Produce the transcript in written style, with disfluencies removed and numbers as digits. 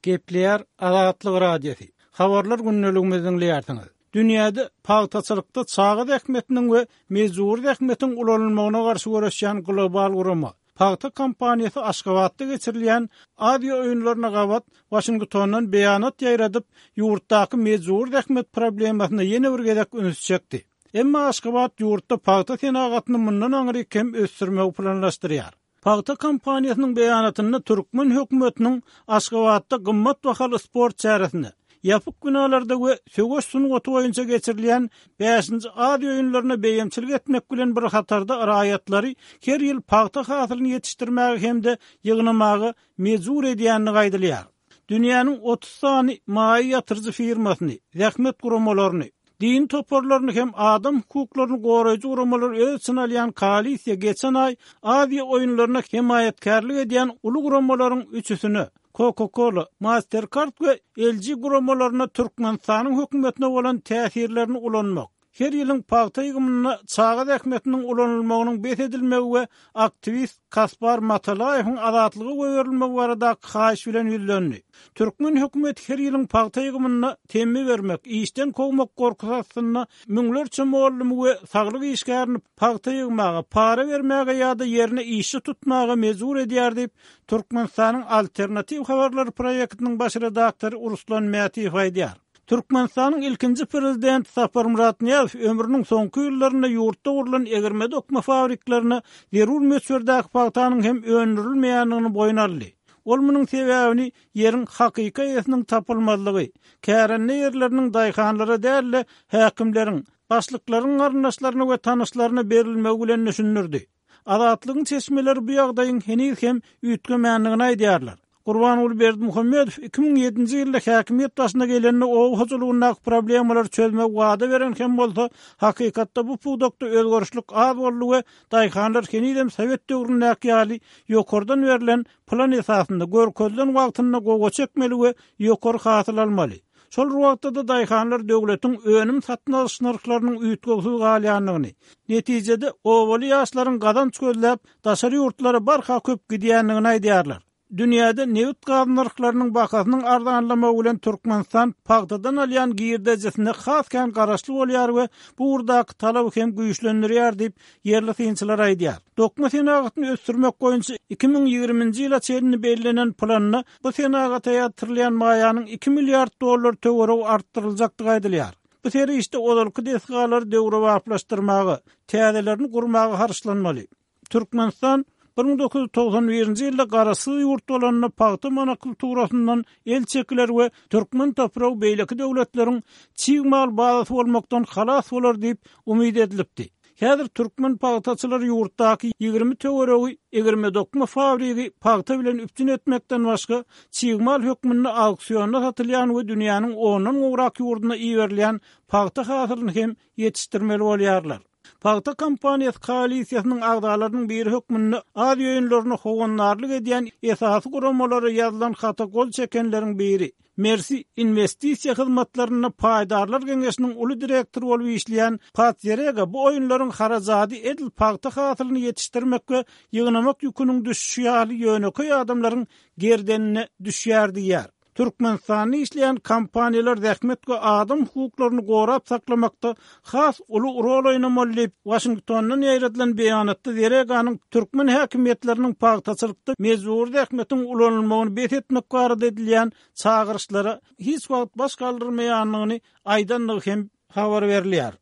Gepleýär Azatlyk Radiosy. Habarlar gündeligimizi diňleýärsiňiz. Dünýäde pagtaçylykda çaga zähmetiniň we mejbury zähmetiň ulanylmagyna garşy göreşýän global gurama, Pagta kampaniýasy Aşgabatda geçirilýän Aziýa oýunlaryna gabat Waşingtondan beýanat ýaýradyp, ýurtdaky mejbury zähmet problemasyna ýene bir gezek üns çekdi. Emma Aşgabat ýurtda pagta senagatyny mundan aňryk hem ösdürmegi planlaşdyrýar. Pagta kampaniýasynyň beýanatynda türkmen hökümetiniň Aşgabatda gymmat bahaly sport çäresine, ýapyk binalarda we söweş sungaty boýunça geçirilýän Bäşinji Aziýa oýunlaryna beýemçilik etmek bilen bir hatarda raýatlary her ýyl pagta hasylyny ýetişdirmäge hem-de ýygnamaga mejbur edýändigi aýdylýar. Dünýäniň 30 sany maýa ýatyryjy firmasyny, zähmet guramalaryny, dini toparlaryny hem adam hukuklaryny goraýjy guramalary öz içine alýan koalisiýa geçen aý Aziýa oýunlaryna hemaýatkärlik edýän uly guramalaryň üçüsine, Coca-Cola, Mastercard we LG guramalaryna Türkmenistanyň hökümetine bolan täsirlerini ulanmak, her ýylyň pagta ýygymynda çaga zähmetiniň ulanylmagynyň bes edilmegi we aktiwist Kaspar Matalaýewiň azatlyga goýberilmegi baradaky haýyş bilen ýüzlendi. Türkmen hökümeti her ýylyň pagta ýygymynda temmi bermek, işden kowmak gorkusy astynda müňlerçe mugallymy we saglyk işgärini pagta ýygmaga, para bermäge ýa-da ýerine işçi tutmaga mejbur edýär diýip, Türkmenistanyň Alternatiw habarlary proýektiniň baş redaktory Ruslan Mätiýew aýdýar. Türkmenistanyň ilkinji prezidenti Saparmyrat Nyýazow ömrüniň soňky ýyllarynda ýurtda gurlan egirme-dokma fabriklerine zerur möçberdäki pagtanyň hem öndürilmeýändigini boýun aldy. Ol munuň sebäbini ýeriň hakyky eýesiniň tapylmazlygy, kärende ýerleriniň daýhanlara däl-de, häkimleriň, başlyklaryň garyndaşlaryna we tanyşlaryna berilmegi bilen düşündirdi. Azatlygyň çeşmeleri bu ýagdaýyň heniz hem üýtgemändigini aýdýarlar. Gurbanguly Berdimuhamedow 2007-nji ýylda häkimiýet başyna gelende oba hojalygyndaky problemalary çözmegi wada beren hem bolsa, hakykatda bu pudakda özgerişlik az boldy we daýhanlar henizem sowet döwründäki ýaly ýokardan berlen plan esasynda görkezilen wagtynda gowaça ekmeli we ýokary hasyl almaly. Şol bir wagtda-da daýhanlar döwletiň önüm satyn alyş nyrhlarynyň üýtgewsiz galýandygyny, netijede obaly ýaşlaryň gazanç gözläp, daşary ýurtlara barha köp gidýändigini aýdýarlar. Dünýäde nebit-gaz nyrhlarynyň bahasynyň arzanlamagy bilen Türkmenistan pagtadan alýan girdejisine has kän garaşly bolýar we bu ugurdaky talaby hem güýçlendirýär diýip, ýerli synçylar aýdýar. Dokma senagatyny ösdürmek boýunça 2020-nji ýyla çenli bellenen planda bu senagata ýatyrylýan maýanyň iki milliard dollar töweregi artdyryljakdygy aýdylýar. Bu serişde ozalky desgalary döwrebaplaşdyrmaga, täzelerini gurmaga harçlanmaly. Türkmenistan 1991-nji ýylda garaşsyz ýurt bolanda pagta monokulturasyndan el çekiler we türkmen topragy beýleki döwletleriň çig mal bazasy bolmakdan halas bolar diýip umyt edilipdi. Häzir türkmen pagtaçylary ýurtdaky 20 töweregi egirme-dokma fabrigi pagta bilen üpjün etmekden başga, çig mal hökmünde auksionda satylýan we dünýäniň ondan gowrak ýurduna iberilýän pagta hasylyny hem ýetişdirmeli bolýarlar. Pagta kampaniýasy koalisiýasynyň agzalarynyň biri hökmünde Aziýa oýunlaryna howandarlyk edýän esasy guramalara ýazylan hata gol çekenleriň biri, Mersi inwestisiýa hyzmatlarynda paýdarlar geňeşiniň uly direktory bolup işleýän Pat Zerega bu oýunlaryň harajady edil pagta hasylyny ýetişdirmek we ýygnamak ýüküniň düşüşi ýaly ýönekeý adamlaryň gerdenine düşýär diýýär. Türkmenistanda işleýän kompaniýalar zähmet we adam hukuklaryny gorap saklamakda has uly rol oýnamaly diýip, Waşingtondan ýaýradylan beýanatda Zereganyň türkmen häkimiýetleriniň pagtaçylykda mejbury zähmetiň ulanylmagyny bes etmek barada edilýän çagyryşlara hiç wagt baş galdyrmaýandygyny aýdandygy hem habar berilýär.